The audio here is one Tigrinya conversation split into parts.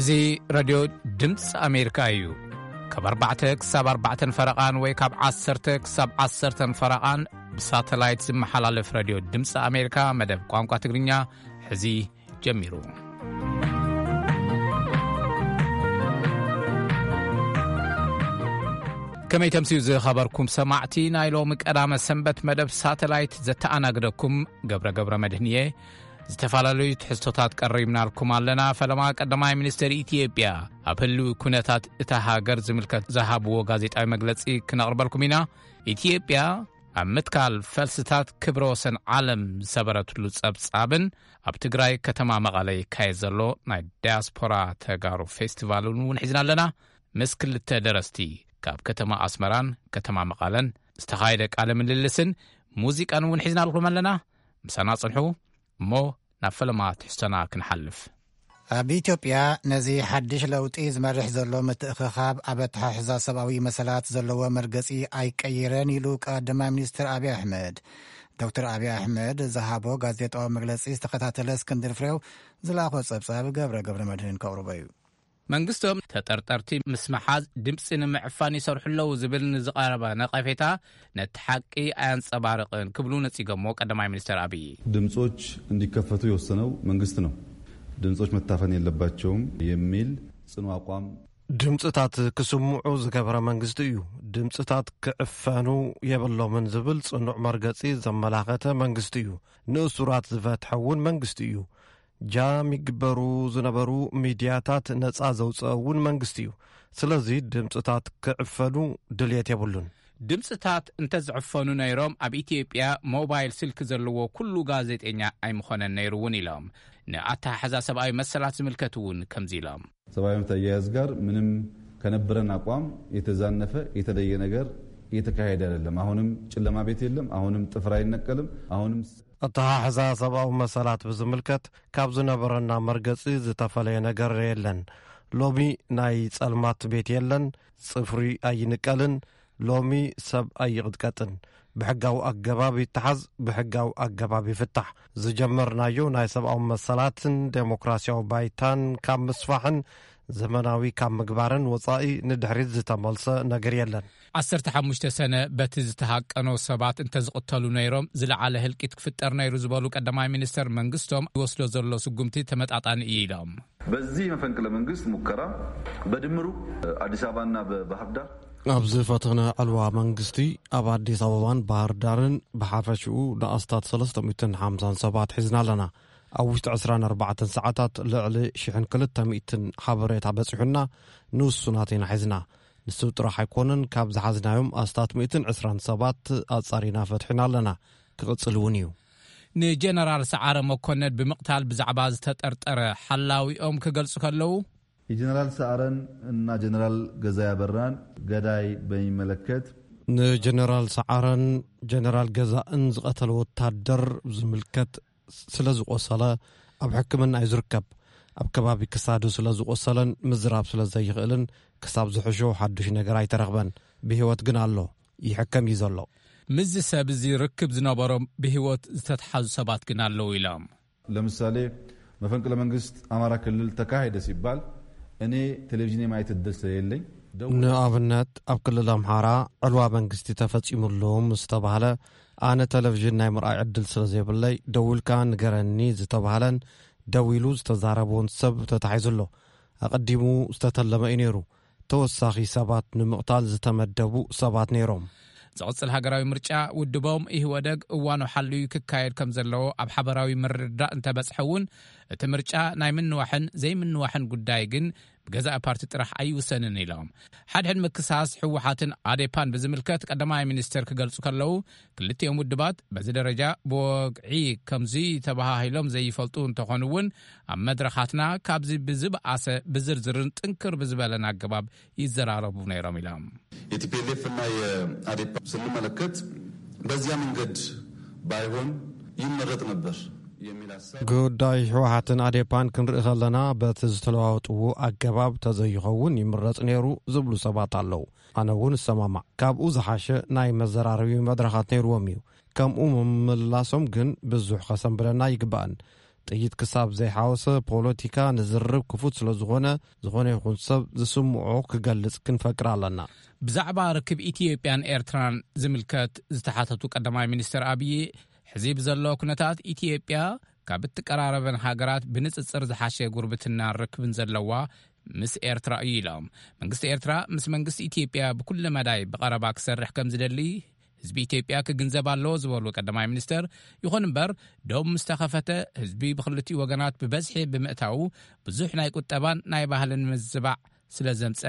እዚ ሬድዮ ድምፂ ኣሜሪካ እዩ። ካብ ኣርባዕተ ክሳብ ኣርባዕተን ፈረቓን ወይ ካብ ዓሰርተ ክሳብ ዓሰርተን ፈረቓን ብሳተላይት ዝመሓላለፍ ሬድዮ ድምፂ ኣሜሪካ መደብ ቋንቋ ትግርኛ ሕዚ ጀሚሩ። ከመይ ተምስዩ ዝኸበርኩም ሰማዕቲ ናይ ሎሚ ቀዳመ ሰንበት መደብ ሳተላይት ዘተኣናግደኩም ገብረ ገብረ መድህን እየ። ዝተፈላለዩ ትሕዝቶታት ቀሪብናልኩም ኣለና። ፈለማ ቀዳማይ ሚኒስትር ኢትዮጵያ ኣብ ህልዊ ኩነታት እታ ሃገር ዝምልከት ዝሃብዎ ጋዜጣዊ መግለጺ ክነቕርበልኩም ኢና። ኢትዮጵያ ኣብ ምትካል ፈልስታት ክብረ ወሰን ዓለም ዝሰበረትሉ ጸብጻብን ኣብ ትግራይ ከተማ መቐለ ይካየድ ዘሎ ናይ ዳያስፖራ ተጋሩ ፌስቲቫልን እውን ሒዝና ኣለና። ምስ ክልተ ደረስቲ ካብ ከተማ ኣስመራን ከተማ መቐለን ዝተኻየደ ቃለ ምልልስን ሙዚቃን እውን ሒዝናልኩም ኣለና። ምሳና ጽንሑ እሞ ናብ ፈለማ ትሕዝቶና ክንሓልፍ። ኣብ ኢትዮጵያ ነዚ ሓድሽ ለውጢ ዝመርሕ ዘሎ ምትእኽኻብ ኣብ ኣተሓሕዛ ሰብኣዊ መሰላት ዘለዎ መርገጺ ኣይቀይረን ኢሉ ቀዳማይ ሚኒስትር ኣብይ ኣሕመድ። ዶክተር ኣብይ ኣሕመድ ዝሃቦ ጋዜጣዊ መግለጺ ዝተኸታተለ እስክንድር ፍሬው ዝለኣኾ ጸብጻብ ገብረ ገብረ መድህን ከቕርቦ እዩ። መንግስቶም ተጠርጠርቲ ምስ መሓዝ ድምፂ ንምዕፋን ይሰርሑ ኣለዉ ዝብል ንዝቐረበ ነቐፌታ ነቲ ሓቂ ኣያንፀባርቕን ክብሉ ነፂጎሞ ቀዳማይ ሚኒስትር ኣብይ። ድምጾች እንዲከፈቱ የወሰነው መንግስት ነው። ድምጾች መታፈን የለባቸውም የሚል ጽኑ አቋም። ድምፅታት ክስምዑ ዝገበረ መንግስቲ እዩ። ድምፅታት ክዕፈኑ የብሎምን ዝብል ጽኑዕ መርገፂ ዘመላኸተ መንግስቲ እዩ። ንእሱራት ዝፈትሐ እውን መንግስቲ እዩ። ጃም ይግበሩ ዝነበሩ ሚድያታት ነፃ ዘውፅአ እውን መንግስቲ እዩ። ስለዚ ድምፅታት ክዕፈኑ ድልየት የብሉን። ድምፅታት እንተዝዕፈኑ ነይሮም ኣብ ኢትዮጵያ ሞባይል ስልኪ ዘለዎ ኩሉ ጋዜጠኛ ኣይምኾነን ነይሩ እውን ኢሎም። ንኣተሓሕዛ ሰብኣዊ መሰላት ዝምልከት እውን ከምዚ ኢሎም። ሰብአዊ መብት አያያዝ ጋር ምንም ከነበረን አቋም የተዛነፈ የተለየ ነገር እየተካሄደ አይደለም። አሁንም ጨለማ ቤት የለም። አሁንም ጥፍር አይነቀልም። አሁንም ኣተሓሕዛ ሰብኣዊ መሰላት ብዝምልከት ካብ ዝነበረና መርገጺ ዝተፈለየ ነገር የለን። ሎሚ ናይ ጸልማት ቤት የለን፣ ጽፍሪ ኣይንቀልን። ሎሚ ሰብ ኣይቕጥቀጥን። ብሕጋዊ ኣገባብ ይተሓዝ፣ ብሕጋዊ ኣገባብ ይፍታሕ። ዝጀመርናዮ ናይ ሰብኣዊ መሰላትን ዴሞክራሲያዊ ባይታን ካብ ምስፋሕን ዘመናዊ ካብ ምግባርን ወጻኢ ንድሕሪት ዝተመልሰ ነገር የለን። ዓሰርተ ሓሙሽተ ሰነ በቲ ዝተሃቀኖ ሰባት እንተዝቕተሉ ነይሮም ዝለዓለ ህልቂት ክፍጠር ነይሩ ዝበሉ ቀዳማይ ሚኒስተር መንግስቶም ይወስዶ ዘሎ ስጉምቲ ተመጣጣኒ እዩ ኢሎም። በዚህ መፈንቅለ መንግስት ሙከራ በድምሩ አዲስ አበባና በባህር ዳር ኣብዚ ፈተነ ዕልዋ መንግስቲ ኣብ ኣዲስ ኣበባን ባህር ዳርን ብሓፈሽኡ ንኣስታት ሰለስተ ሚእትን ሓምሳን ሰባት ሒዝና ኣለና። ኣብ ውሽጢ ዕስራን ኣርባዕተን ሰዓታት ልዕሊ ሽሕን ክልተ ሚእትን ሓበሬታ በጺሑና፣ ንውሱናት ኢና ሒዝና። ንሱ ጥራሕ ኣይኮነን፣ ካብ ዝሓዝናዮም ኣስታት ሚእትን ዕስራን ሰባት ኣጻሪና ፈትሒና ኣለና። ክቕጽል እውን እዩ። ንጀነራል ሰዓረ መኮነን ብምቕታል ብዛዕባ ዝተጠርጠረ ሓላዊኦም ክገልጹ ከለዉ፣ የጀነራል ሰዓረን እና ጀነራል ገዛኢ ኣበራን ገዳይ በሚመለከት፣ ንጀነራል ሰዓረን ጀነራል ገዛእን ዝቐተለ ወታደር ዝምልከት ስለ ዝቆሰለ ኣብ ሕክምና እዩ ዝርከብ። ኣብ ከባቢ ክሳዱ ስለ ዝቆሰለን ምዝራብ ስለ ዘይኽእልን ክሳብ ዝሕሾ ሓዱሽ ነገር ኣይተረኽበን። ብህይወት ግን ኣሎ፣ ይሕከም እዩ ዘሎ። ምስዚ ሰብ እዚ ርክብ ዝነበሮም ብህይወት ዝተትሓዙ ሰባት ግን ኣለዉ ኢሎም። ለምሳሌ መፈንቅለ መንግስት አማራ ክልል ተካሄደ ሲባል እኔ ቴሌቪዥን የማየት እድል ስለሌለኝ ደው- ንኣብነት ኣብ ክልል ኣምሓራ ዕልዋ መንግስቲ ተፈጺሙሉ ምስ ተባህለ ኣነ ቴሌቪዥን ናይ ምርኣይ ዕድል ስለ ዘይብለይ ደዊልካ ንገረኒ ዝተባህለን ደዊሉ ዝተዛረበውን ሰብ ተታሒዙ ኣሎ። ኣቐዲሙ ዝተተለመ እዩ ነይሩ። ተወሳኺ ሰባት ንምቕታል ዝተመደቡ ሰባት ነይሮም። ዝቕጽል ሃገራዊ ምርጫ ውድቦም ኢህወደግ እዋኑ ሓልዩ ክካየድ ከም ዘለዎ ኣብ ሓበራዊ ምርድዳእ እንተበጽሐ እውን እቲ ምርጫ ናይ ምንዋሕን ዘይምንዋሕን ጉዳይ ግን ብገዛኢ ፓርቲ ጥራሕ ኣይውሰንን ኢሎም። ሓድሕድ ምክሳስ ህወሓትን ኣዴፓን ብዝምልከት ቀዳማይ ሚኒስትር ክገልጹ ከለዉ ክልቲኦም ውድባት በዚ ደረጃ ብወግዒ ከምዚ ተበሃሂሎም ዘይፈልጡ እንተኾኑ እውን ኣብ መድረኻትና ካብዚ ብዝበኣሰ ብዝርዝርን ጥንክር ብዝበለን ኣገባብ ይዘራረቡ ነይሮም ኢሎም። የቲፒኤልኤፍ እና የአዴፓ ስንመለከት በዚያ መንገድ ባይሆን ይመረጥ ነበር የሚል ሀሳብ ጉዳይ ህወሓትን ኣዴፓን ክንርኢ ከለና በቲ ዝተለዋወጥዎ ኣገባብ ተዘይኸውን ይምረጽ ነይሩ ዝብሉ ሰባት ኣለዉ። ኣነ እውን እሰማማዕ። ካብኡ ዝሓሸ ናይ መዘራረቢ መድረኻት ነይርዎም እዩ። ከምኡ ምምላሶም ግን ብዙሕ ከሰንብደና ይግባእን። ጥይት ክሳብ ዘይሓወሰ ፖለቲካ ንዝርብ ክፉት ስለ ዝኾነ፣ ዝኾነ ይኹን ሰብ ዝስምዖ ክገልጽ ክንፈቅድ ኣለና። ብዛዕባ ርክብ ኢትዮጵያን ኤርትራን ዝምልከት ዝተሓተቱ ቀዳማይ ሚኒስትር ኣብዪ፣ ሕዚ ብዘሎ ኩነታት ኢትዮጵያ ካብ እትቀራረበን ሃገራት ብንጽጽር ዝሓሸ ጉርብትና ርክብን ዘለዋ ምስ ኤርትራ እዩ ኢሎም። መንግስቲ ኤርትራ ምስ መንግስቲ ኢትዮጵያ ብኩሉ መዳይ ብቐረባ ክሰርሕ ከም ዝደሊ ህዝቢ ኢትዮጵያ ክግንዘብ ኣለዎ ዝበሉ ቀዳማይ ሚኒስትር፣ ይኹን እምበር ዶብ ምስ ተኸፈተ ህዝቢ ብክልቲኡ ወገናት ብበዝሒ ብምእታዉ ብዙሕ ናይ ቁጠባን ናይ ባህልን ምዝባዕ ስለ ዘምጸ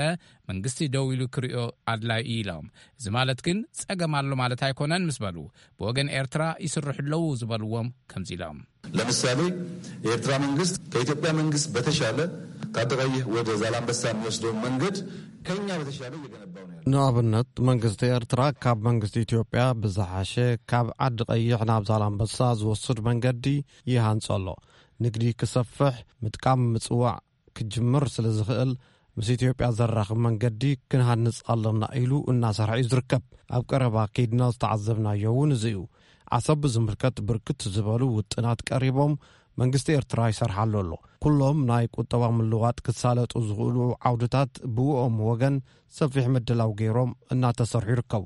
መንግስቲ ደው ኢሉ ክሪኦ ኣድላይ እዩ ኢሎም። እዚ ማለት ግን ጸገም ኣሎ ማለት ኣይኮነን ምስ በሉ፣ ብወገን ኤርትራ ይስርሑ ኣለዉ ዝበልዎም ከምዚ ኢሎም። ለምሳሌ የኤርትራ መንግስት ከኢትዮጵያ መንግስት በተሻለ ከአዲ ቀይህ ወደ ዛላንበሳ የሚወስደውን መንገድ ከኛ በተሻለ እየገነባው ነው ያለው። ንኣብነት መንግስቲ ኤርትራ ካብ መንግስቲ ኢትዮጵያ ብዝሓሸ ካብ ዓዲ ቀይሕ ናብ ዛላንበሳ ዝወስድ መንገዲ ይሃንጾ ኣሎ። ንግዲ ክሰፍሕ፣ ምጥቃም ምጽዋዕ ክጅምር ስለ ዝኽእል፣ ምስ ኢትዮጵያ ዘራኽብ መንገዲ ክንሃንጽ ኣለና ኢሉ እናሰርሐ እዩ ዝርከብ። ኣብ ቀረባ ከይድና ዝተዓዘብናዮ እውን እዚ እዩ። ዓሰብ ብዝምልከት ብርክት ዝበሉ ውጥናት ቀሪቦም መንግስቲ ኤርትራ ይሰርሓሉ ኣሎ። ኩሎም ናይ ቁጠባ ምልዋጥ ክሳለጡ ዝኽእሉ ዓውድታት ብእኦም ወገን ሰፊሕ ምድላው ገይሮም እናተሰርሑ ይርከቡ።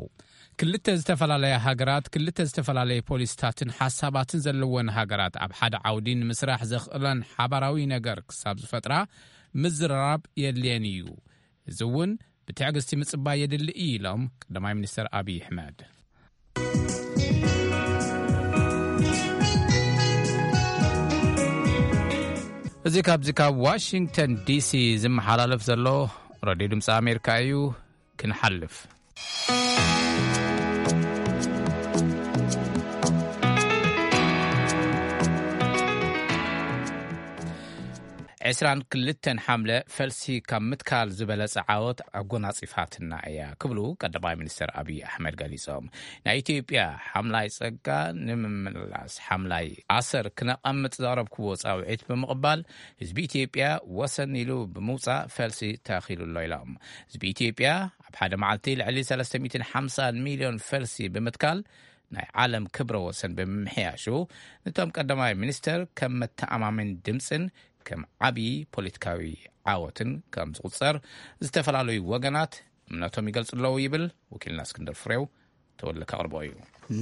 ክልተ ዝተፈላለያ ሃገራት፣ ክልተ ዝተፈላለየ ፖሊስታትን ሓሳባትን ዘለወን ሃገራት ኣብ ሓደ ዓውዲ ንምስራሕ ዘኽእለን ሓባራዊ ነገር ክሳብ ዝፈጥራ ምዝርራብ የድልየን እዩ። እዚ እውን ብትዕግስቲ ምጽባይ የድሊ እዩ ኢሎም ቀዳማይ ሚኒስትር ኣብይ ኣሕመድ። እዚ ካብዚ ካብ ዋሽንግተን ዲሲ ዝመሓላለፍ ዘሎ ሬድዮ ድምፂ ኣሜሪካ እዩ። ክንሓልፍ። ዕስራን ክልተን ሓምለ ፈልሲ ካብ ምትካል ዝበለጸ ዓወት ኣጎናጺፋትና እያ ክብሉ ቀዳማይ ሚኒስትር ኣብይ ኣሕመድ ገሊጾም። ናይ ኢትዮጵያ ሓምላይ ጸጋ ንምምላስ ሓምላይ ኣሰር ክነቐምጥ ዘቕረብክዎ ጻውዒት ብምቕባል ህዝቢ ኢትዮጵያ ወሰን ኢሉ ብምውጻእ ፈልሲ ተኺሉ ኣሎ ኢሎም። ህዝቢ ኢትዮጵያ ኣብ ሓደ መዓልቲ ልዕሊ ሰለስተ ሚእትን ሓምሳን ሚልዮን ፈልሲ ብምትካል ናይ ዓለም ክብረ ወሰን ብምምሕያሹ፣ ነቶም ቀዳማይ ሚኒስተር ከም መተኣማመኒ ድምፅን ከም ዓብዪ ፖለቲካዊ ዓወትን ከም ዝቑጸር ዝተፈላለዩ ወገናት እምነቶም ይገልጹ ኣለዉ ይብል ወኪልና እስክንድር ፍሬው። ተወልደ ከቕርቦ እዩ።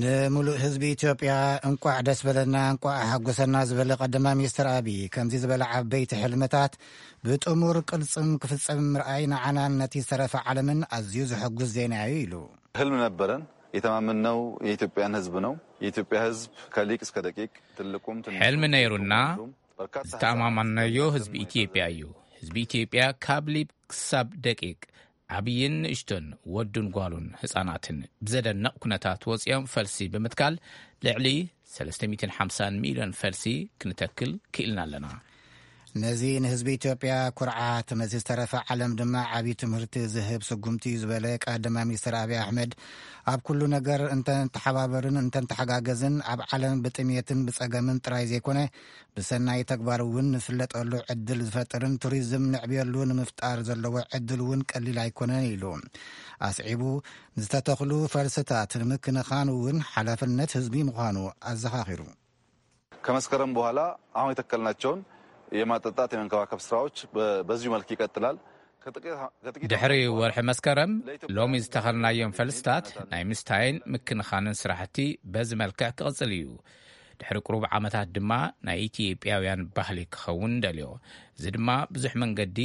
ንምሉእ ህዝቢ ኢትዮጵያ እንቋዕ ደስ በለና፣ እንቋዕ ሓጎሰና ዝበለ ቀዳማይ ሚኒስትር ኣብይ፣ ከምዚ ዝበለ ዓበይቲ ሕልምታት ብጥሙር ቅልጽም ክፍጸም ምርኣይ ንዓናን ነቲ ዝተረፈ ዓለምን ኣዝዩ ዘሐጉስ ዜና እዩ ኢሉ። ህልም ነበረን፣ የተማመንነው የኢትዮጵያን ህዝብ ነው። የኢትዮጵያ ህዝብ ከሊቅ እስከ ደቂቅ፣ ትልቁም ትንሹም፣ ሕልሚ ነይሩና፣ ሴቱም ወንዱም፣ በርካታ ዝተኣማመንናዮ ህዝቢ ኢትዮጵያ እዩ። ህዝቢ ኢትዮጵያ ካብ ሊብ ክሳብ ደቂቅ፣ ዓብይን ንእሽቶን፣ ወዱን ጓሉን ህፃናትን ብዘደንቕ ኩነታት ወፂኦም ፈልሲ ብምትካል ልዕሊ ሰለስተ ሚእትን ሓምሳን ሚልዮን ፈልሲ ክንተክል ክኢልና ኣለና። ነዚ ንህዝቢ ኢትዮጵያ ኩርዓት፣ ነዚ ዝተረፈ ዓለም ድማ ዓብዪ ትምህርቲ ዝህብ ስጉምቲ እዩ ዝበለ ቀዳማይ ሚኒስትር ኣብይ ኣሕመድ፣ ኣብ ኩሉ ነገር እንተንተሓባበርን እንተንተሓጋገዝን ኣብ ዓለም ብጥሜትን ብጸገምን ጥራይ ዘይኮነ ብሰናይ ተግባር እውን ንፍለጠሉ ዕድል ዝፈጥርን ቱሪዝም ንዕብየሉ ንምፍጣር ዘለዎ ዕድል እውን ቀሊል ኣይኮነን ኢሉ ኣስዒቡ፣ ዝተተኽሉ ፈልስታት ንምክንኻን እውን ሓላፍነት ህዝቢ ምዃኑ ኣዘኻኺሩ። ከመስከረም በኋላ አሁን የተከልናቸውን የማጠጣት የመንከባከብ ስራዎች በ-፣ በዚሁ መልክ ይቀጥላል። ከጥቂት፣ ከጥቂት ድሕሪ ዓመታት በኋላ ወርሒ መስከረም ለኢትዮጵያ ሎሚ ዝተኸልናዮም ፈልስታት ናይ ምስታይን ምክንኻንን ስራሕቲ በዚ መልክዕ ክቕጽል እዩ። ድሕሪ ቁሩብ ዓመታት ድማ ናይ ኢትዮጵያውያን ባህሊ ክኸውን ደልዮ። እዚ ድማ ብዙሕ መንገዲ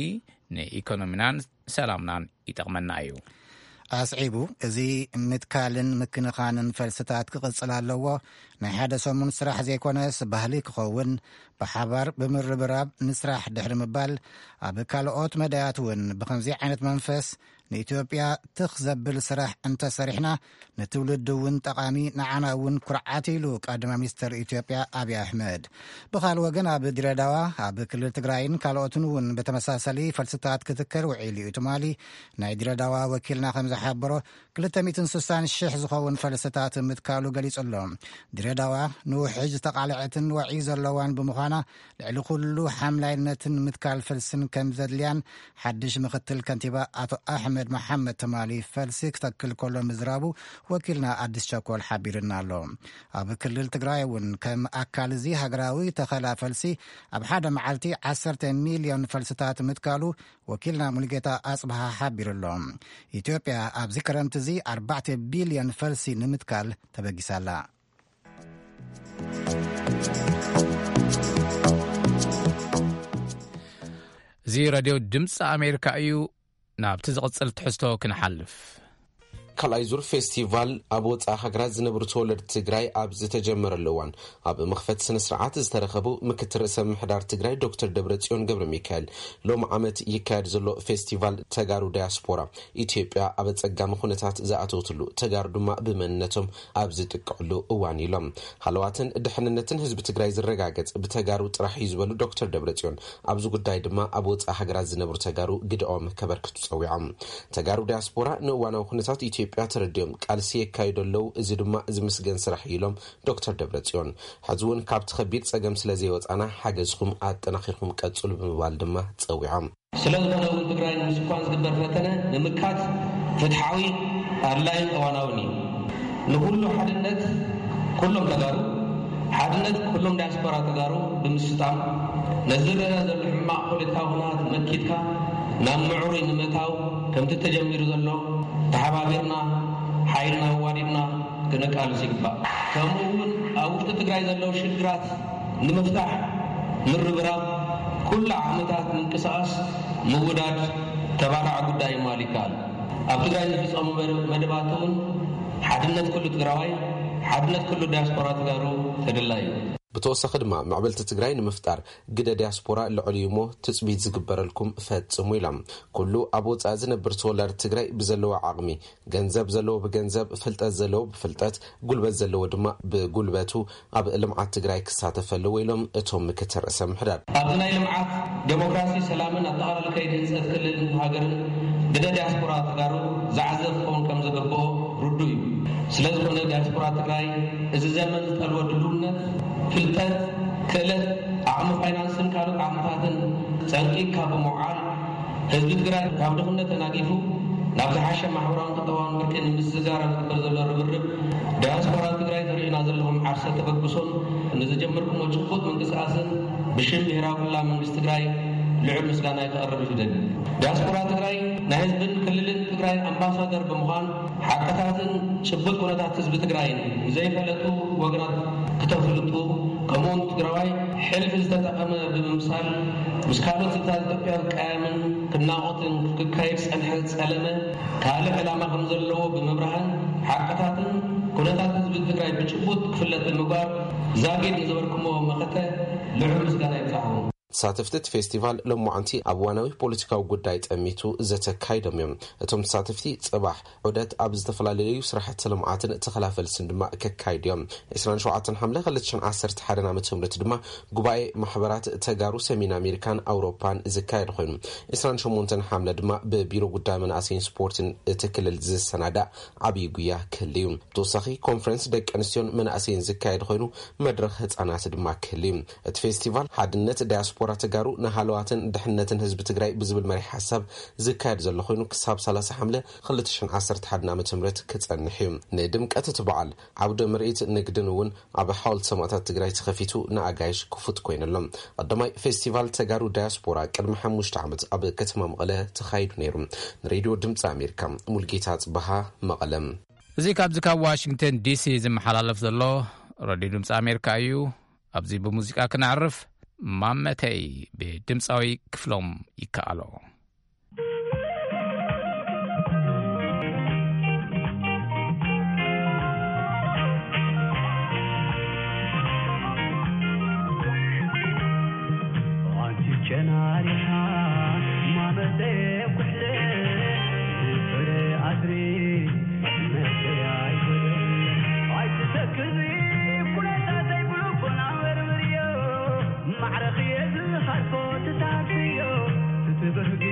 ንኢኮኖሚናን ሰላምናን ይጠቕመና እዩ። ኣስዒቡ፣ እዚ ምትካልን ምክንኻንን ፈልስታት ክቕጽል ኣለዎ። ናይ ሓደ ሰሙን ስራሕ ዘይኮነስ ባህሊ ክኸውን፣ ብሓባር ብምርብራብ ንስራሕ ድሕሪ ምባል፣ ኣብ ካልኦት መዳያት እውን ብኸምዚ ዓይነት መንፈስ ንኢትዮጵያ ትኽ ዘብል ስራሕ እንተሰሪሕና፣ ንትውልዲ እውን ጠቓሚ፣ ንዓና እውን ኩርዓት ኢሉ ቀዳማይ ሚኒስተር ኢትዮጵያ ኣብይ ኣሕመድ። ብኻልእ ወገን ኣብ ድሬዳዋ፣ ኣብ ክልል ትግራይን ካልኦትን እውን ብተመሳሳሊ ፈልስታት ክትከል ውዒሉ እዩ። ትማሊ ናይ ድሬዳዋ ወኪልና ከም ዝሓበሮ ክልተ ሚእትን ስሳን ሽሕ ዝኸውን ፈልስታት ምትካሉ ገሊጹ ኣሎ። ድሬዳዋ ንውሕጅ ዝተቓልዐትን ወዒ ዘለዋን ብምዃና ልዕሊ ኩሉ ሓምላይነትን ምትካል ፈልስን ከም ዘድልያን ሓድሽ ምክትል ከንቲባ ኣቶ ኣሕመድ መሓመድ ትማሊ ፈልሲ ክተክል ከሎ ምዝራቡ ወኪልና ኣዲስ ቸኮል ሓቢርና ኣሎ። ኣብ ክልል ትግራይ እውን ከም ኣካል እዚ ሃገራዊ ተኸላ ፈልሲ ኣብ ሓደ መዓልቲ ዓሰርተ ሚልዮን ፈልስታት ምትካሉ ወኪልና ሙሉጌታ ኣጽብሃ ሓቢሩ ኣሎ። ኢትዮጵያ ኣብዚ ክረምቲ እዚ ኣርባዕተ ቢልዮን ፈልሲ ንምትካል ተበጊሳላ። እዚ ሬድዮ ድምፂ ኣሜሪካ እዩ። ናብቲ ዝቕጽል ትሕዝቶ ክንሓልፍ። ካልኣይ ዙር ፌስቲቫል ኣብ ወፃኢ ሃገራት ዝነብሩ ተወለድቲ ትግራይ ኣብ ዝተጀመረሉ እዋን፣ ኣብ መኽፈቲ ስነ ስርዓት ዝተረኸቡ ምክትል ርእሰ ምሕዳር ትግራይ ዶክተር ደብረጽዮን ገብረ ሚካኤል፣ ሎም ዓመት ይካየድ ዘሎ ፌስቲቫል ተጋሩ ዳያስፖራ፣ ኢትዮጵያ ኣብ ኣጸጋሚ ኩነታት ዝኣተወትሉ፣ ተጋሩ ድማ ብመንነቶም ኣብ ዝጥቀዕሉ እዋን ኢሎም። ሃለዋትን ድሕንነትን ህዝቢ ትግራይ ዝረጋገጽ ብተጋሩ ጥራሕ እዩ ዝበሉ ዶክተር ደብረጽዮን፣ ኣብዚ ጉዳይ ድማ ኣብ ወጻኢ ሃገራት ዝነብሩ ተጋሩ ግደኦም ከበርክቱ ጸዊዖም። ተጋሩ ዲያስፖራ ንእዋናዊ ኩነታት ኢትዮጵያ ተረዲኦም ቃልሲ የካይዱ ኣለዉ፣ እዚ ድማ ዝምስገን ስራሕ እዩ ኢሎም ዶክተር ደብረጽዮን። ሕዚ እውን ካብቲ ከቢድ ጸገም ስለ ዘይወጻና ሓገዝኩም ኣጠናኺርኩም ቀጽሉ ብምባል ድማ ጸዊዖም። ስለ ዝኾነ እውን ትግራይ ንምስኳን ዝግበር ፈተነ ንምምካት ፍትሓዊ፣ ኣድላይን እዋናውን እዩ። ንኹሉ ሓድነት ኩሎም ተጋሩ፣ ሓድነት ኩሎም ዲያስፖራ ተጋሩ ብምስጣም፣ ነዚ ዝረአ ዘሎ ሕማቕ ፖለቲካዊ ኩነታት መኪትካ ናብ ምዕሩይ ንምእታው ከምቲ ተጀሚሩ ዘሎ ተሓባቢርና ሓይልና ኣዋዲድና ክነቃልስ ይግባእ። ከምኡ እውን ኣብ ውሽጢ ትግራይ ዘለዉ ሽግራት ንምፍታሕ ምርብራብ፣ ኩሉ ዓቕምታት ምንቅስቓስ ምውዳድ ተባራዕ ጉዳይ ምባል ይከኣል። ኣብ ትግራይ ዝፍጸሙ መድ-፣ መደባት እውን ሓድነት ኩሉ ትግራዋይ፣ ሓድነት ኩሉ ዲያስፖራ ተጋሩ ተደላይ እዩ። ብተወሳኺ ድማ ምዕብልቲ ትግራይ ንምፍጣር ግደ ዲያስፖራ ልዑል እዩ እሞ ትጽቢት ዝግበረልኩም ፈጽሙ ኢሎም። ኩሉ ኣብ ወጻኢ ዝነብር ተወላዲ ትግራይ ብዘለዎ ዓቕሚ፣ ገንዘብ ዘለዎ ብገንዘብ፣ ፍልጠት ዘለዎ ብፍልጠት፣ ጉልበት ዘለዎ ድማ ብጉልበቱ ኣብ ልምዓት ትግራይ ክሳተፍ ኣለዎ ኢሎም እቶም ምክትል ርእሰ ምሕዳር። ኣብዚ ናይ ልምዓት፣ ዴሞክራሲ፣ ሰላምን ኣጠቓላሊ ከይዲ ህንፀት ክልልን ሃገርን ግደ ዲያስፖራ ተጋሩ ዝዓዘ ክኸውን ከም ዝግብኦ ርዱእ እዩ። ስለ ዝኾነ ዲያስፖራ ትግራይ እዚ ዘመን ዝጠልቦ ድልውነት፣ ፍልጠት፣ ክእለት፣ ዓቕሚ ፋይናንስን ካልኦት ዓቕምታትን ፀንቂቕካ ብምውዓል ህዝቢ ትግራይ ካብ ድኽነት ተናጊፉ ናብ ዝሓሸ ማሕበራውን ቁጠባውን ብርቂ ንምስግጋር ኣብ ዝግበር ዘሎ ርብርብ ዲያስፖራ ትግራይ ተሪኡና ዘለኹም ዓርሰ ተበግሶን ንዝጀመርኩሞ ጭቡጥ ምንቅስቃስን ብሽም ብሄራዊ ክልላዊ መንግስቲ ትግራይ ልዑል ምስጋናይ ከቕርብ ይደሊ። ዲያስፖራ ትግራይ ናይ ህዝብን ክልልን ትግራይ ኣምባሳደር ብምዃን ሓቅታትን ጭቡጥ ኩነታት ህዝቢ ትግራይን ንዘይፈለጡ ወገናት ክተፍልጡ፣ ከምኡውን ትግራዋይ ሕልፊ ዝተጠቐመ ብምምሳል ምስ ካልኦት ህዝብታት ኢትዮጵያ ዝቀያየምን ክናቖትን ክካየድ ዝጸንሐ ዝጸለመ ካልእ ዕላማ ከም ዘለዎ ብምብራህን ሓቅታትን ኩነታት ህዝቢ ትግራይ ብጭቡጥ ክፍለጥ ብምግባር ዛጊድ ንዝበርክሞ መኸተ ልዑል ምስጋና ይብጻሕኹም። ተሳተፍቲ እቲ ፌስቲቫል ሎማዓንቲ ኣብ እዋናዊ ፖለቲካዊ ጉዳይ ጠሚቱ ዘተ ኣካይዶም እዮም። እቶም ተሳተፍቲ ጽባሕ ዑደት ኣብ ዝተፈላለዩ ስራሕቲ ልምዓትን ተኸላ ፈልስን ድማ ከካይዱ እዮም። ዕስራን ሸውዓተን ሓምለ ክልተ ሽሕን ዓሰርተ ሓደን ዓመተ ምህረት ድማ ጉባኤ ማሕበራት ተጋሩ ሰሜን ኣሜሪካን ኣውሮፓን ዝካየድ ኮይኑ፣ ዕስራን ሸሞንተን ሓምለ ድማ ብቢሮ ጉዳይ መናእሰይን ስፖርትን እቲ ክልል ዝሰናዳእ ዓብዪ ጉያ ክህሉ እዩ። ብተወሳኺ ኮንፈረንስ ደቂ ኣንስትዮን መናእሰይን ዝካየድ ኮይኑ፣ መድረኽ ህፃናት ድማ ክህሉ እዩ። እቲ ፌስቲቫል ሓድነት ዳያስፖራ ተጋሩ ንሃለዋትን ድሕነትን ህዝቢ ትግራይ ብዝብል መሪሕ ሓሳብ ዝካየድ ዘሎ ኮይኑ፣ ክሳብ ሰላሳ ሓምለ ክልተ ሽሕን ዓሰርተ ሓደን ዓመተ ምህረት ክጸንሕ እዩ። ንድምቀት እቲ በዓል ዓውደ ምርኢት ንግድን እውን ኣብ ሓወልቲ ሰማእታት ትግራይ ተኸፊቱ ንኣጋይሽ ክፉት ኮይኑ ኣሎ። ቀዳማይ ፌስቲቫል ተጋሩ ዳያስፖራ ቅድሚ ሓሙሽተ ዓመት ኣብ ከተማ መቐለ ተኻይዱ ነይሩ። ንሬድዮ ድምፂ ኣሜሪካ፣ ሙልጌታ ጽበሃ፣ መቐለ። እዚ ካብዚ ካብ ዋሽንግተን ዲሲ ዝመሓላለፍ ዘሎ ሬድዮ ድምፂ ኣሜሪካ እዩ። ኣብዚ ብሙዚቃ ክነዕርፍ፣ ማመተይ ብድምፃዊ ክፍሎም ይከኣሎ። ኣንቲ ጨናሪኻ ማመተይ ኩሕለ ፍረ ኣድሪ መተይ ኣይኮነ ኣይትተክዚ ኩነታተይ ብልቦና መርምርዮ ማዕረኽየ ዝኸድኮ ትታክዮ ትትብህጊ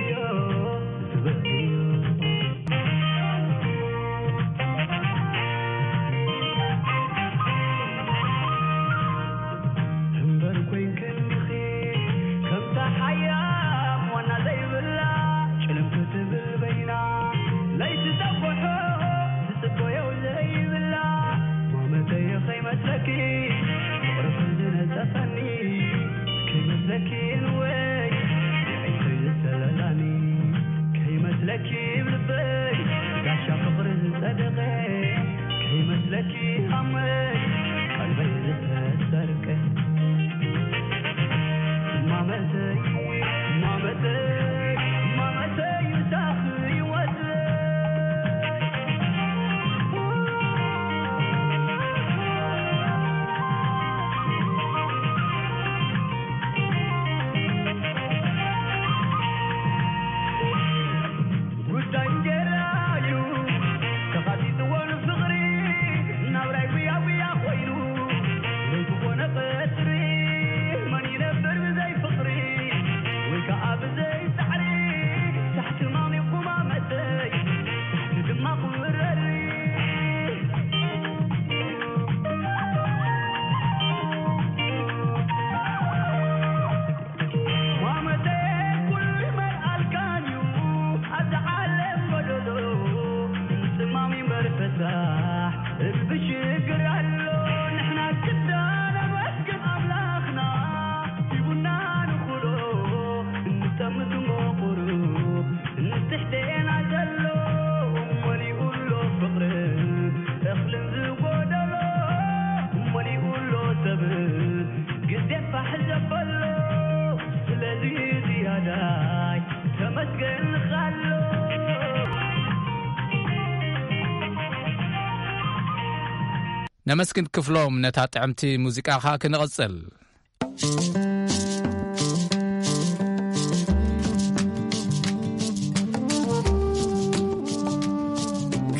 ነመስግን ክፍሎም ነታ ጥዕምቲ ሙዚቃኻ ክንቕጽል።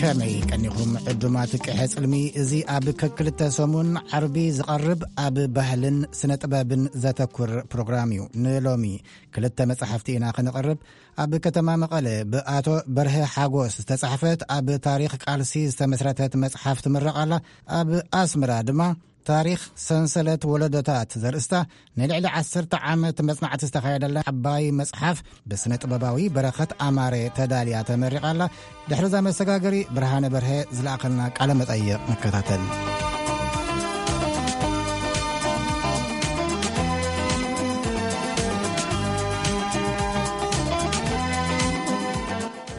ከመይ ቀኒኹም ዕዱማት ቅሐ ጽልሚ? እዚ ኣብ ከክልተ ሰሙን ዓርቢ ዝቐርብ ኣብ ባህልን ስነ ጥበብን ዘተኩር ፕሮግራም እዩ። ንሎሚ ክልተ መጻሕፍቲ ኢና ክንቕርብ። ኣብ ከተማ መቐለ ብኣቶ በርሀ ሓጎስ ዝተጻሕፈት ኣብ ታሪኽ ቃልሲ ዝተመስረተት መጽሓፍ ትምረቕ ኣላ። ኣብ ኣስመራ ድማ ታሪኽ ሰንሰለት ወለዶታት ዘርእስታ ንልዕሊ ዓሰርተ ዓመት መጽናዕቲ ዝተኻየደላ ዓባይ መጽሓፍ ብስነ ጥበባዊ በረኸት ኣማረ ተዳልያ ተመሪቓ ኣላ። ድሕሪ እዛ መሰጋገሪ ብርሃነ በርሀ ዝለኣኸልና ቃለ መጠይቕ ንከታተል።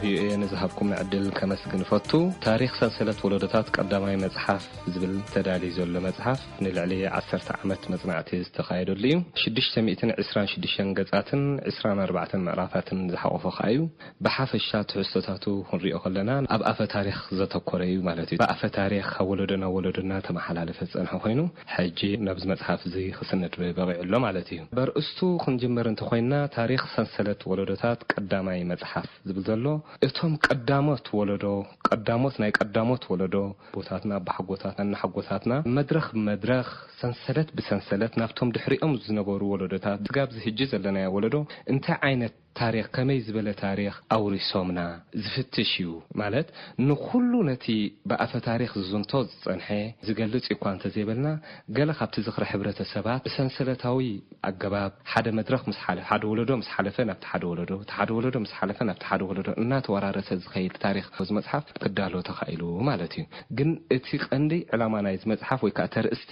ቪኦኤ ንዝሃብኩም ዕድል ከመስግን እፈቱ። ታሪኽ ሰንሰለት ወለዶታት ቀዳማይ መጽሓፍ ዝብል ተዳልዩ ዘሎ መጽሓፍ ንልዕሊ ዓሰርተ ዓመት መጽናዕቲ ዝተኻየደሉ እዩ። ሽዱሽተ ሚእትን ዕስራን ሽዱሽተን ገጻትን ዕስራን ኣርባዕተን ምዕራፋትን ዝሓቖፈ ከኣ እዩ። ብሓፈሻ ትሕዝቶታቱ ክንሪኦ ከለና ኣብ ኣፈ ታሪኽ ዘተኮረ እዩ ማለት እዩ። ብኣፈ ታሪኽ ካብ ወለዶ ናብ ወለዶ እናተመሓላለፈ ዝጸንሐ ኮይኑ፣ ሕጂ ናብዚ መጽሓፍ እዚ ክስነድ በቒዑ ኣሎ ማለት እዩ። በርእስቱ ክንጅምር እንተኾይንና፣ ታሪኽ ሰንሰለት ወለዶታት ቀዳማይ መጽሓፍ ዝብል ዘሎ፣ እቶም ቀዳሞት ወለዶ፣ ቀዳሞት ናይ ቀዳሞት ወለዶ፣ ኣቦታትና፣ ኣቦሓጎታትና፣ እናሓጎታትና፣ መድረኽ ብመድረኽ፣ ሰንሰለት ብሰንሰለት፣ ናብቶም ድሕሪኦም ዝነበሩ ወለዶታት፣ ስጋብ ዝህጂ ዘለናዮ ወለዶ፣ እንታይ ዓይነት ታሪኽ፣ ከመይ ዝበለ ታሪኽ ኣውሪሶምና ዝፍትሽ እዩ። ማለት፣ ንኹሉ ነቲ ብኣፈ ታሪኽ ዝዝንቶ ዝጸንሐ ዝገልጽ እኳ እንተዘይበልና፣ ገለ ካብቲ ዝኽሪ ሕብረተሰባት ብሰንሰለታዊ ኣገባብ ሓደ መድረኽ ምስ ሓለ-፣ ሓደ ወለዶ ምስ ሓለፈ ናብቲ ሓደ ወለዶ፣ እቲ ሓደ ወለዶ ምስ ሓለፈ ናብቲ ሓደ ወለዶ እናተወራረሰ ዝኸይድ ታሪኽ እዚ መጽሓፍ ክዳሎ ተኻኢሉ ማለት እዩ። ግን እቲ ቀንዲ ዕላማ ናይዚ መጽሓፍ ወይ ከኣ ተርእስቲ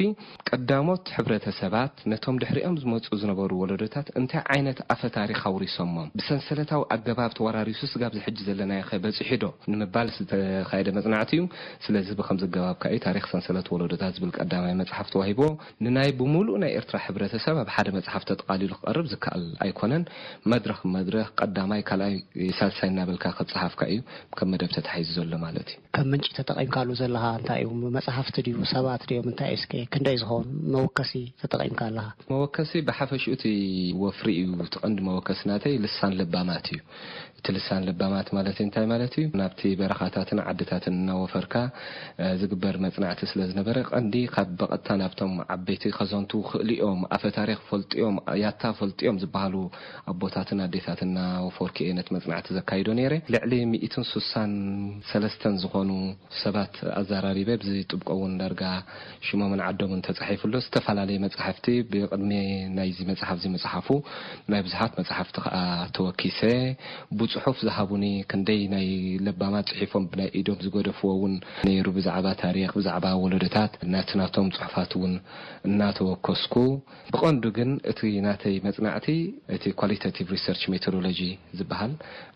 ቀዳሞት ሕብረተሰባት ነቶም ድሕሪኦም ዝመጹ ዝነበሩ ወለዶታት እንታይ ዓይነት ኣፈ ታሪኽ ኣውሪሶሞም? ብሰንሰለታዊ ኣገባብ ተወራሪሱ ስጋብ ዝሕጂ ዘለናዮ ከ በጺሑ ዶ ንምባል ዝተኻየደ መጽናዕቲ እዩ። ስለዚ ብኸምዚ ኣገባብ ከኣ እዩ ታሪኽ ሰንሰለት ወለዶታት ዝብል ቀዳማይ መጽሓፍ ተዋሂብዎ። ንናይ ብምሉእ ናይ ኤርትራ ሕብረተሰብ ኣብ ሓደ መጽሓፍ ተጠቓሊሉ ክቐርብ ዝከኣል ኣይኮነን። መድረኽ መድረኽ ቀዳማይ፣ ካልኣይ፣ ሳልሳይ እናበልካ ክጸሓፍ ከኣ እዩ ከም መደብ ተታሒዙ ዘሎ ማለት እዩ። ከም ምንጪ ተጠቒምካሉ ዘለኻ እንታይ እዩ? መጽሓፍቲ ድዩ? ሰባት ድዮም? እንታይ እዩ? እስከ ክንደይ ዝኸውን መወከሲ ተጠቒምካ ኣለኻ? መወከሲ ብሓፈሽኡ እቲ ወፍሪ እዩ። እቲ ቀንዲ መወከሲ ናተይ ልሳን ለባማት እዩ። እቲ ልሳን ለባማት ማለት እንታይ ማለት እዩ? ናብቲ በረኻታትን ዓድታትን እናወፈርካ፣ እ፣ ዝግበር መጽናዕቲ ስለ ዝነበረ፣ ቀንዲ ካብ ብቐጥታ ናብቶም ዓበይቲ ከዘንቱ ክእልኦም፣ ኣፈ ታሪኽ ፈልጥዮም፣ ያታ ፈልጥዮም ዝበሃሉ ኣቦታትን ኣዴታትን እናወፈርኩ እየ ነቲ መጽናዕቲ ዘካይዶ ነይረ። ልዕሊ ሚእትን ስሳን ሰለስተን ዝኾኑ ሰባት ኣዘራሪበ፣ ብዚ ጥብቆ እውን ዳርጋ ሽሞምን ዓዶምን ተጻሒፉ ኣሎ። ዝተፈላለየ መጻሕፍቲ ብቅድሚ ናይዚ መጽሓፍ እዚ ምጽሓፉ ናይ ብዙሓት መጻሕፍቲ ከኣ ተወኪሰ፣ ብጽሑፍ ዝሃቡኒ ክንደይ ናይ ለባማት ጽሒፎም ብናይ ኢዶም ዝገደፍዎ እውን ነይሩ። ብዛዕባ ታሪኽ፣ ብዛዕባ ወለዶታት ናቲ ናቶም ጽሑፋት እውን እናተወከስኩ፣ ብቐንዱ ግን እቲ ናተይ መጽናዕቲ እቲ ኳሊታቲቭ ሪሰርች ሜቶዶሎጂ ዝበሃል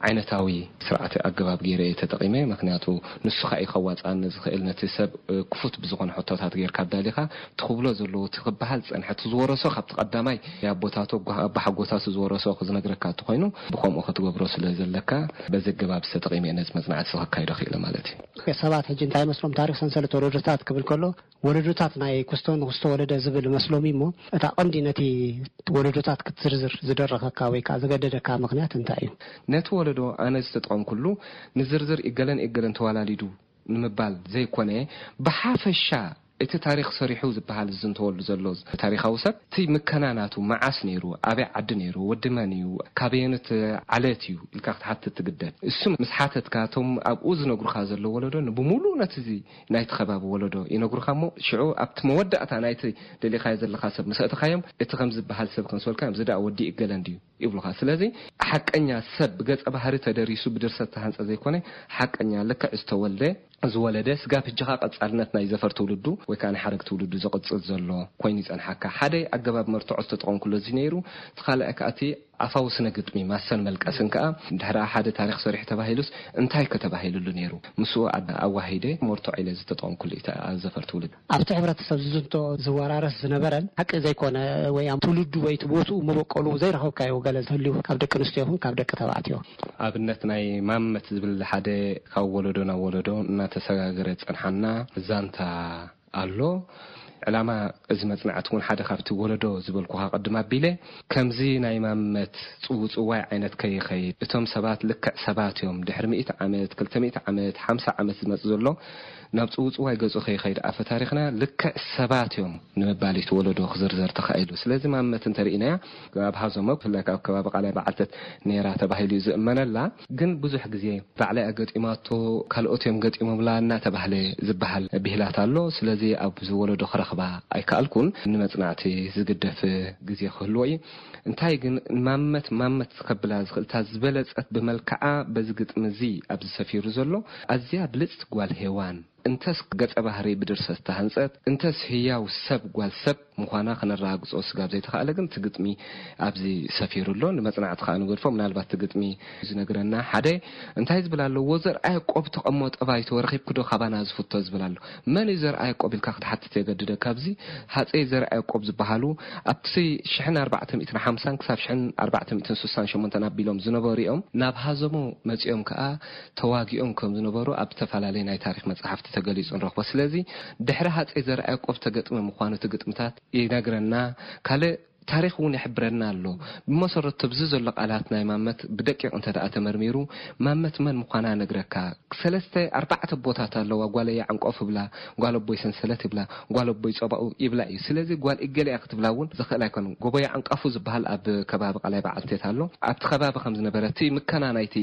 ዓይነታዊ ስርዓት ኣገባብ ገይረ እየ ተጠቒመ። ምኽንያቱ ንሱ ኸኣ እዩ ከዋጽኣኒ ዝኽእል፣ ነቲ ሰብ፣ እ፣ ክፉት ብዝኾነ ሕቶታት ጌርካ ኣዳሊኻ፣ እቲ ክብሎ ዘለዎ፣ እቲ ክበሃል ዝጸንሐ፣ እቲ ዝወረሶ ካብቲ ቀዳማይ ኣቦታቱ፣ ኣጓ-፣ ኣባሓጎታቱ ዝወረሶ ክዝነግረካ እንተኾይኑ፣ ብኸምኡ ክትገብሮ ስለ ዘለካ፣ በዚ ኣገባብ ተጠቒመ እየ ነዚ መጽናዕቲ እዚ ከካይዶ ክኢለ ማለት እዩ። ሰባት ሕጂ እንታይ መስሎም፣ ታሪኽ ሰንሰለት ወለዶታት ክብል ከሎ፣ ወለዶታት ናይ ክስቶ ንክስቶ ወለደ ዝብል መስሎም እዩ እሞ፣ እታ ቀንዲ ነቲ ወለዶታት ክትዝርዝር ዝደረኸካ ወይ ከኣ ዘገደደካ ምኽንያት እንታይ እዩ? ነቲ ወለዶ ኣነ ዝተጠቐምኩሉ፣ ንዝርዝር እገለን እገለን ተዋላሊዱ ንምባል ዘይኮነ፣ ብሓፈሻ እቲ ታሪኽ ሰሪሑ ዝበሃል ዝዝንተወሉ ዘሎ ታሪኻዊ ሰብ፣ እቲ ምከና ናቱ መዓስ ነይሩ፣ ኣበይ ዓዲ ነይሩ፣ ወዲ መን እዩ፣ ካበየኖት ዓለት እዩ ኢልካ ክትሓትት ትግደድ። እሱ ምስ ሓተትካ፣ እቶም ኣብኡ ዝነግሩኻ ዘለዉ ወለዶ ንብምሉኡ ነቲ እዚ ናይቲ ከባቢ ወለዶ ይነግሩኻ እሞ፣ ሽዑ ኣብቲ መወዳእታ ናይቲ ደሊኻዮ ዘለኻ ሰብ ምስ ኣእተኻዮም፣ እቲ ከም ዝበሃል ሰብ ከምዝበልካ፣ "እዚ ደኣ ወዲ እገለ እንድዩ?" ይብሉኻ። ስለዚ፣ ሓቀኛ ሰብ ብገጸ ባህሪ ተደሪሱ ብድርሰት ዝተሃንጸ ዘይኮነ፣ ሓቀኛ ልክዕ ዝተወልደ፣ ዝወለደ፣ ስጋብ ሕጂ ኸኣ ቀጻልነት ናይ ዘፈር ትውልዱ ወይ ከኣ ናይ ሓረግ ትውልዱ ዝቕጽል ዘሎ ኮይኑ ይጸንሓካ። ሓደ ኣገባብ መርትዖ ዝተጠቐምኩሉ እዚ ነይሩ። እቲ ካልኣይ ከኣ እቲ ኣፋዊ ስነ ግጥሚ ማሰን መልቀስን ከኣ፣ ድሕሪ ሓደ ታሪኽ ሰሪሑ ተባሂሉስ እንታይ ከተባሂሉሉ ነይሩ? ምስኡ ኣድ-፣ ኣዋሂደ መርትዖ ኢለ ዝተጠቐምኩሉ እዩ፣ እቲ ዘፈር ትውልድ። ኣብቲ ሕብረተሰብ ዝዝንቶ ዝወራረስ ዝነበረን ሓቂ ዘይኮነ ወይ ኣብ ትውልዱ ወይ እቲ ቦትኡ መበቆሉ ዘይረኸብካዮ ገለ ዝህልዩ ካብ ደቂ ኣንስትዮ ይኹን ካብ ደቂ ተባዕትዮ? ኣብነት ናይ ማመት ዝብል ሓደ ካብ ወለዶ ናብ ወለዶ እናተሰጋገረ ዝጸንሓና ዛንታ ኣሎ። ዕላማ እዚ መጽናዕቲ እውን ሓደ ካብቲ ወለዶ ዝበልኩኻ ቅድም ኣቢለ፣ ከምዚ ናይ ማመት ጽውጽዋይ ዓይነት ከይኸይድ፣ እቶም ሰባት ልክዕ ሰባት እዮም፣ ድሕሪ ሚእቲ ዓመት፣ ክልተ ሚእቲ ዓመት፣ ሓምሳ ዓመት ዝመጽእ ዘሎ ናብ ጽውጽዋይ ገጹ ከይኸይድ፣ ኣፈ ታሪኽና ልክዕ ሰባት እዮም ንምባል እዩ እቲ ወለዶ ክዝርዘር ተኻኢሉ። ስለዚ ማመት እንተርኢናያ፣ ኣብ ሃዞሞ ብፍላይ ካብ ከባቢ ቃላይ በዓልተት ነይራ ተባሂሉ እዩ ዝእመነላ። ግን ብዙሕ ግዜ ባዕላ እያ ገጢማቶ፣ ካልኦት እዮም ገጢሞምላ እናተባህለ ዝበሃል ብሂላት ኣሎ። ስለዚ ኣብዚ ወለዶ ክረኽባ ኣይከኣልኩን። ንመጽናዕቲ ዝግደፍ ግዜ ክህልዎ እዩ። እንታይ ግን ማመት ማመት ከብላ ዝኽእል እታ ዝበለጸት ብመልክዓ በዚ ግጥሚ እዚ ኣብዚ ሰፊሩ ዘሎ ኣዝያ ብልጽቲ ጓል ሄዋን፣ እንተስ ገጸ ባህሪ ብድርሰት ዝተሃንጸት፣ እንተስ ህያው ሰብ ጓል ሰብ ምዃና ክነረጋግጾ ስጋብ ዘይተኻእለ፣ ግን እቲ ግጥሚ ኣብዚ ሰፊሩ ኣሎ። ንመጽናዕቲ ከኣ ንገድፎ። ምናልባት እቲ ግጥሚ ዝነግረና ሓደ እንታይ ዝብል ኣሎ? "ወዘርኣ ያዕቆብ ተቐሞ ጠባይቶ ረኺብክዶ ካባና ዝፍቶ?" ዝብል ኣሎ። መን እዩ ዘርኣ ያዕቆብ ኢልካ ክትሓትት የገድደካ። ኣብዚ ሃጸይ ዘርኣ ያዕቆብ ዝበሃሉ ኣብቲ ሽሕን ኣርባዕተ ሚእትን ሓምሳን ክሳብ ሽሕን ኣርባዕተ ሚእትን ስሳን ሸሞንተን ኣቢሎም ዝነበሩ እዮም። ናብ ሃዘሞ መጺኦም ከኣ ተዋጊኦም ከም ዝነበሩ ኣብ ዝተፈላለየ ናይ ታሪኽ መጽሓፍቲ ተገሊጹ ንረኽቦ። ስለዚ ድሕሪ ሃጸይ ዘርኣ ያዕቆብ ተገጥመ ምዃኑ እቲ ግጥምታት ይነግረና። ካልእ ታሪኽ እውን ይሕብረና ኣሎ። ብመሰረቱ ኣብዚ ዘሎ ቃላት ናይ ማመት ብደቂቕ እንተ ደኣ ተመርሚሩ፣ ማመት መን ምዃና ነግረካ። ሰለስተ ኣርባዕተ ቦታት ኣለዋ። ጓለይ ዓንቆፍ ይብላ፣ ጓል ኣቦይ ሰንሰለት ይብላ፣ ጓል ኣቦይ ጸባኡ ይብላ እዩ። ስለዚ ጓል እገለ እያ ክትብላ እውን ዝኽእል ኣይኮነን። ጎቦይ ዓንቃፉ ዝበሃል ኣብ ከባቢ ቃላይ በዓልቴት ኣሎ። ኣብቲ ከባቢ ከም ዝነበረ እቲ ምከና ናይቲ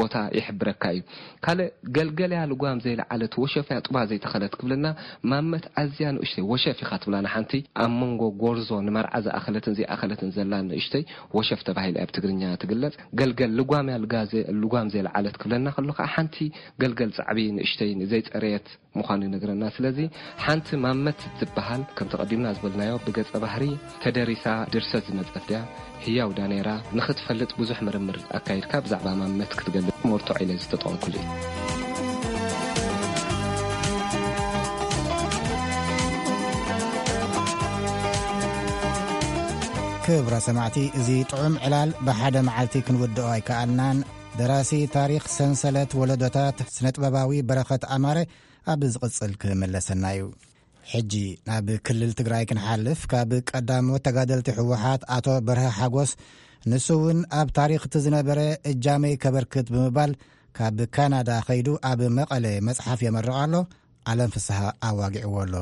ቦታ ይሕብረካ እዩ። ካልእ ገልገል እያ ልጓም ዘይለዓለት፣ ወሸፍ እያ ጡባ ዘይተኸለት ክብልና፣ ማመት ኣዝያ ንእሽተይ ወሸፍ ኢኻ ትብላ ንሓንቲ ኣብ መንጎ ጎርዞ ንመርዓ ዝኣኸለትን ዘይኣኸለትን ዘላ ንእሽተይ ወሸፍ ተባሂላ እያ ብትግርኛ ትግለጽ። ገልገል ልጓም እያ ልጋ ዘ-፣ ልጓም ዘይለዓለት ክብለና ከሎ ከዓ ሓንቲ ገልገል ጻዕቢ ንእሽተይ ዘይጸረየት ምዃኑ ይነግረና። ስለዚ ሓንቲ ማመት ትበሃል፣ ከም ተቐዲምና ዝበልናዮ ብገጸ ባህሪ ተደሪሳ ድርሰት ዝመጸት እያ። ህያው ዳ ነይራ ንኽትፈልጥ ብዙሕ ምርምር ኣካይድካ ብዛዕባ ማመት ክትገልጽ መርትዖ ኢለ ዝተጠቐምኩሉ እዩ። ክብረ ሰማዕቲ፣ እዚ ጥዑም ዕላል ብሓደ መዓልቲ ክንውድኦ ኣይከኣልናን። ደራሲ ታሪኽ ሰንሰለት ወለዶታት ስነጥበባዊ በረኸት ኣማረ ኣብ ዝቕጽል ክምለሰና እዩ። ሕጂ ናብ ክልል ትግራይ ክንሓልፍ፣ ካብ ቀዳሞት ተጋደልቲ ህወሓት ኣቶ በርሀ ሓጎስ፣ ንሱ እውን ኣብ ታሪኽ እቲ ዝነበረ እጃመይ ከበርክት ብምባል ካብ ካናዳ ኸይዱ ኣብ መቐለ መጽሓፍ የመርቕ ኣሎ። ዓለም ፍስሃ ኣዋጊዕዎ ኣሎ።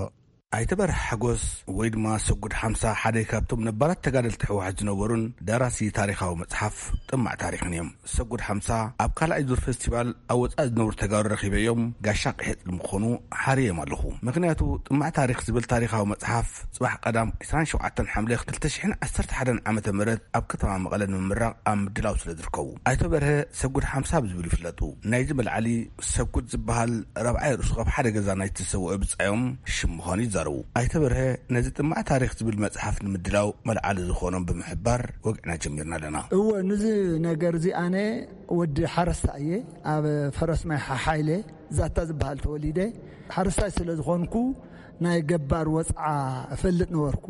ኣይተ በርሀ ሓጎስ ወይ ድማ ሰጉድ ሓምሳ ሓደ ካብቶም ነባራት ተጋደልቲ ህወሓት ዝነበሩን ደራሲ ታሪኻዊ መጽሓፍ ጥማዕ ታሪኽን እዮም። ሰጉድ ሓምሳ ኣብ ካልኣይ ዙር ፌስቲቫል ኣብ ወጻኢ ዝነብሩ ተጋሩ ረኺበዮም ጋሻ ቅሒጥ ንምኾኑ ሓርዮም ኣለኹ። ምኽንያቱ ጥማዕ ታሪኽ ዝብል ታሪኻዊ መጽሓፍ ጽባሕ ቀዳም ዕስራን ሸውዓተን ሓምለ ክልተ ሽሕን ዓሰርተ ሓደን ዓመተ ምህረት ኣብ ከተማ መቐለ ንምምራቕ ኣብ ምድላው ስለ ዝርከቡ። ኣይተ በርሀ ሰጉድ ሓምሳ ብዝብል ይፍለጡ። ናይዚ መልዓሊ ሰጉድ ዝበሃል ራብዓይ ርእሱ ካብ ሓደ ገዛ ናይቲ ዝሰውአ ብጻዮም ሽም ምዃኑ ይዛረቡ። ኣይተ በርሀ ነዚ ጥማዕ ታሪኽ ዝብል መጽሓፍ ንምድላው መልዓሊ ዝኾኖም ብምሕባር ወግዕና ጀሚርና ኣለና። እወ፣ ንዚ ነገር እዚ ኣነ ወዲ ሓረስታይ እየ። ኣብ ፈረስ ማይ ሓሓይለ ዛታ ዝበሃል ተወሊደ። ሓረስታይ ስለ ዝኾንኩ ናይ ገባር ወጽዓ እፈልጥ ነበርኩ።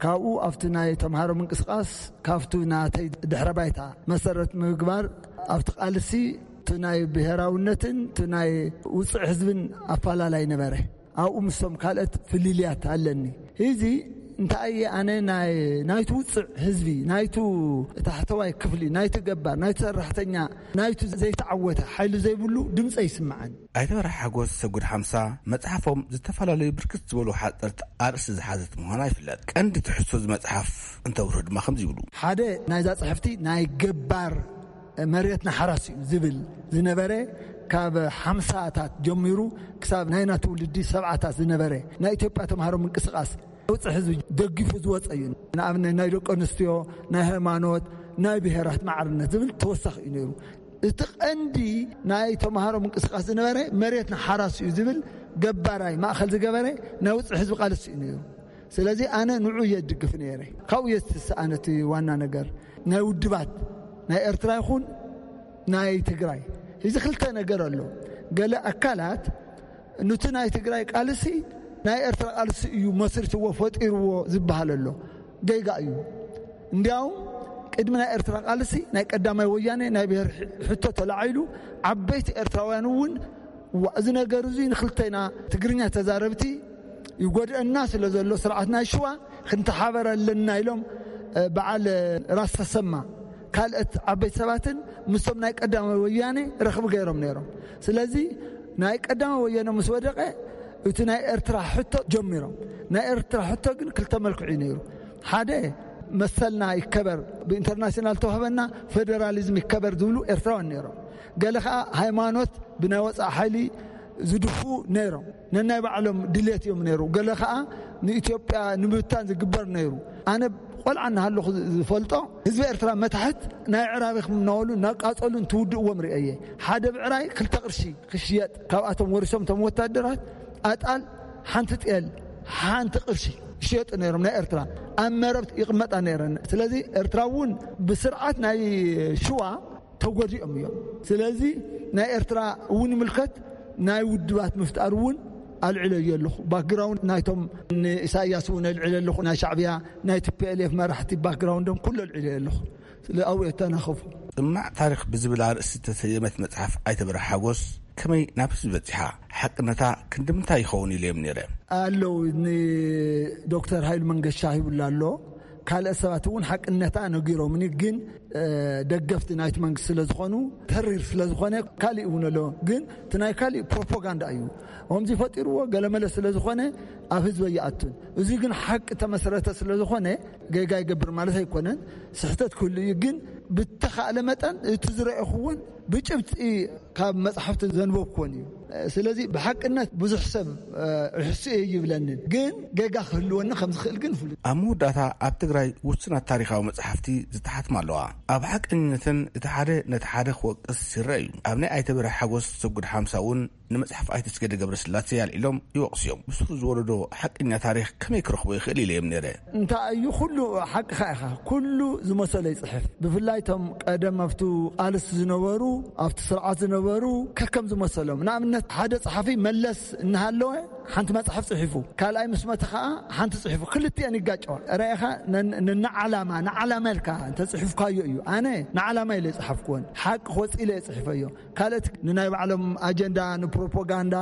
ካብኡ ኣብቲ ናይ ተምሃሮ ምንቅስቃስ ካብቱ ናተይ ድሕረ ባይታ መሰረት ምግባር ኣብቲ ቃልሲ እቲ ናይ ብሔራውነትን እቲ ናይ ውፅዕ ህዝብን ኣፈላላይ ነበረ። ኣብኡ ምስቶም ካልኦት ፍልልያት ኣለኒ። ሕዚ እንታይ እየ ኣነ ናይ ናይቲ ውፅዕ ህዝቢ፣ ናይቱ ታሕተዋይ ክፍሊ፣ ናይቲ ገባር፣ ናይቲ ሰራሕተኛ፣ ናይቱ ዘይተዓወተ ሓይሊ ዘይብሉ ድምፀ ይስምዓን። ኣይተ በርሀ ሓጎስ ሰጉድ ሓምሳ መጽሓፎም ዝተፈላለዩ ብርክት ዝበሉ ሓጸርቲ ኣርእስቲ ዝሓዘት ምዃና ይፍለጥ። ቀንዲ ትሕዝቶ እዚ መጽሓፍ እንተብርሁ ድማ ከምዚ ይብሉ። ሓደ ናይዛ ጽሕፍቲ ናይ ገባር መሬትና ሓራስ እዩ ዝብል ዝነበረ፣ ካብ ሓምሳታት ጀሚሩ ክሳብ ናይና ትውልዲ ሰብዓታት ዝነበረ ናይ ኢትዮጵያ ተምሃሮ ምንቅስቃስ ውፅዕ ህዝቢ ደጊፉ ዝወፀ እዩ። ንኣብነት ናይ ደቂ ኣንስትዮ፣ ናይ ሃይማኖት፣ ናይ ብሔራት ማዕርነት ዝብል ተወሳኺ እዩ ነይሩ። እቲ ቀንዲ ናይ ተምሃሮ ምንቅስቃስ ዝነበረ መሬትና ሓራስ እዩ ዝብል ገባራይ ማእኸል ዝገበረ ናይ ውፅዕ ህዝቢ ቃልሲ እዩ ነይሩ። ስለዚ ኣነ ንዑ እየ ድግፍ ነይረ። ካብኡ እየ ዝተሰኣነ እቲ ዋና ነገር። ናይ ውድባት ናይ ኤርትራ ይኹን ናይ ትግራይ እዚ ክልተ ነገር ኣሎ። ገለ ኣካላት ኑቲ ናይ ትግራይ ቃልሲ ናይ ኤርትራ ቃልሲ እዩ መስርትዎ ፈጢርዎ ዝበሃል ኣሎ። ጌጋ እዩ። እንዲያውም ቅድሚ ናይ ኤርትራ ቃልሲ ናይ ቀዳማይ ወያነ ናይ ብሔር ሕ-፣ ሕቶ ተላዒሉ ዓበይቲ ኤርትራውያን እውን ዋ፣ እዚ ነገር እዚ ንክልተና ትግርኛ ተዛረብቲ ይጎድአና ስለ ዘሎ ስርዓት ናይ ሽዋ ክንተሓበር ኣለና ኢሎም በዓል ራስ ተሰማ ካልኦት ዓበይቲ ሰባትን ምስቶም ናይ ቀዳማይ ወያነ ረኽቢ ገይሮም ነይሮም። ስለዚ ናይ ቀዳማይ ወያነ ምስ ወደቀ እቲ ናይ ኤርትራ ሕቶ ጀሚሮም። ናይ ኤርትራ ሕቶ ግን ክልተ መልክዑ እዩ ነይሩ። ሓደ መሰልና ይከበር፣ ብኢንተርናሽናል ተዋህበና ፌደራሊዝም ይከበር ዝብሉ ኤርትራውያን ነይሮም። ገለ ከዓ ሃይማኖት ብናይ ወፃእ ሓይሊ ዝድፉ ነይሮም። ነናይ ባዕሎም ድሌት እዮም ነይሩ። ገለ ከዓ ንኢትዮጵያ ንምብታን ዝግበር ነይሩ። ኣነ ቆልዓ እናሃለኹ ዝፈልጦ ህዝቢ ኤርትራ መታሕት ናይ ዕራቢ ክምናወሉ እናቃፀሉ እንትውድእዎም ርእየ። ሓደ ብዕራይ ክልተ ቅርሺ ክሽየጥ ካብኣቶም ወሪሶም እቶም ወታደራት ኣጣል ሓንቲ ጤል ሓንቲ ቅርሺ ይሸጡ ነይሮም። ናይ ኤርትራ ኣብ መረብ ይቕመጣ ነይረን። ስለዚ ኤርትራ እውን ብስርዓት ናይ ሽዋ ተጎዲኦም እዮም። ስለዚ ናይ ኤርትራ እውን ይምልከት ናይ ውድባት ምፍጣር እውን ኣልዕለዮ ኣለኹ። ባክግራውንድ ናይቶም ንኢሳያስ እውን ኣልዕለ ኣለኹ። ናይ ሻዕብያ ናይ ቲ ፒ ኤል ኤፍ መራሕቲ ባክግራውንዶም ኩሉ ኣልዕለዮ ኣለኹ። ስለ ኣብኡ የተናኸፉ። ጥማዕ ታሪኽ ብዝብል ኣርእስቲ ዝተሰየመት መጽሓፍ ኣይተ በርሀ ሓጎስ ከመይ ናብ ህዝቢ በጺሓ? ሓቅነታ ክንዲ ምንታይ ይኸውን ኢለ እዮም ነይረ። ኣለዉ ንዶክተር ሃይሉ መንገሻ ሂቡላ ኣሎ። ካልኦት ሰባት እውን ሓቅነታ ነጊሮምኒ፣ ግን ደገፍቲ ናይቲ መንግስቲ ስለ ዝኾኑ ተሪር ስለ ዝኾነ ካሊእ እውን ኣሎ። ግን እቲ ናይ ካሊእ ፕሮፓጋንዳ እዩ። ከምዚ ፈጢርዎ ገለመለ ስለ ዝኾነ ኣብ ህዝቢ ኣይኣቱን። እዚ ግን ሓቂ ተመስረተ ስለ ዝኾነ ጌጋ ይገብር ማለት ኣይኮነን። ስሕተት ክህሉ እዩ። ግን ብተኻእለ መጠን እቲ ዝረእኹ እውን ብጭብጢ ካብ መጽሓፍቲ ዘንበብኩዎን እዩ። ስለዚ ብሓቅነት ብዙሕ ሰብ ርሕሱ እየ ይብለንን፣ ግን ጌጋ ክህልወኒ ከም ዝኽእል ግን ፍሉጥ። ኣብ መወዳእታ ኣብ ትግራይ ውሱናት ታሪኻዊ መጽሓፍቲ ዝተሓትማ ኣለዋ። ኣብ ሓቀኝነተን እቲ ሓደ ነቲ ሓደ ክወቅስ ይረአ እዩ። ኣብ ናይ ኣይተ በርሀ ሓጎስ ሰጉድ ሓምሳ እውን ንመጽሓፍ ኣይተ ኣስገደ ገብረስላሴ ኣልዒሎም ይወቕሱ እዮም። ብስሩ ዝወረዶ ሓቀኛ ታሪኽ ከመይ ክረኽቦ ይኽእል ኢለ እዮም ነይረ። እንታይ እዩ ኩሉ ሓቅኻ ኢኻ። ኩሉ ዝመሰሎ ይጽሕፍ። ብፍላይ እቶም ቀደም ኣብቲ ቃልስ ዝነበሩ፣ ኣብቲ ስርዓት ዝነበሩ ከከም ዝመሰሎም። ንኣብነት ሓደ ጸሓፊ መለስ እናሃለወ ሓንቲ መጽሓፍ ጽሒፉ፣ ካልኣይ ምስ መተ ኸዓ ሓንቲ ጽሒፉ፣ ክልቲአን ይጋጨዋ። ራኢኻ ነን-፣ ነንዓላማ፣ ንዓላማ ኢልካ እንተጽሒፍካዮ እዩ። ኣነ ንዓላማ ኢለ ዝጸሓፍኩወን፣ ሓቂ ክወጽእ ኢለ እየ ጽሒፈዮ። ካልኦት ንናይ ባዕሎም ኣጀንዳ፣ ንፕሮፓጋንዳ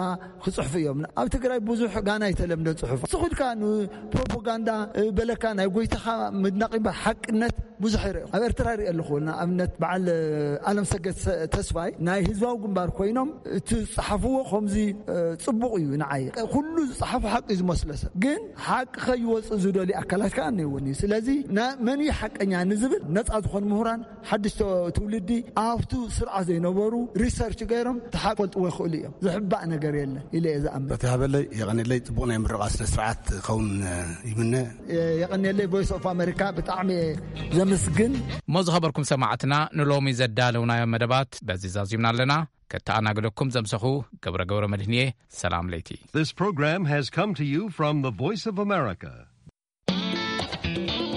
ክጽሕፉ እዮም። ኣብ ትግራይ ብዙሕ ጋና ኣይተለምደን ጽሑፍ። ስኹልካ ንፕሮፓጋንዳ፣ እ፣ በለካ ናይ ጎይታኻ ምድናቕ እምበር ሓቅነት ብዙሕ ይርኢ። ኣብ ኤርትራ ይርኢ ኣለኹ። ንኣብነት በዓል፣ እ፣ ኣለም ሰገድ ሰ-፣ ተስፋይ ናይ ህዝባዊ ግንባር ኮይኖም እቲ ዝጸሓፍዎ ከምዚ፣ እ፣ ጽቡቕ እዩ ንዓይ። ኩሉ ዝጸሓፉ ሓቂ እዩ ዝመስሎ ሰብ። ግን ሓቂ ከይወጽእ ዝደልዩ ኣካላት ከኣ እኒአውኒ። ስለዚ ና-፣ መን እዩ ሓቀኛ ንዝብል ነጻ ዝኾኑ ምሁራን ሓድሽ ተ-፣ ትውልዲ ኣብቱ ስርዓት ዘይነበሩ ሪሰርች ገይሮም ተሓቆልጥዎ ይኽእሉ እዮም። ዝሕባእ ነገር የለን ኢለ እየ ዝኣምን። በቲ ሃበለይ የቐንየለይ። ጽቡቕ ናይ ምርቓ ስነ ስርዓት ከውን ይምነ። የቐንየለይ። ቮይስ ኦፍ ኣሜሪካ ብጣዕሚ እየ ዘምስግን። እሞ ዝኸበርኩም ሰማዕትና ንሎሚ ዘዳለውናዮ መደባት በዚ ዛዚምና ኣለና። ከተኣናግደኩም ዘምሰኹ ገብረ ገብረ መድህንየ። ሰላም ለይቲ። This program has come to you from the Voice of America.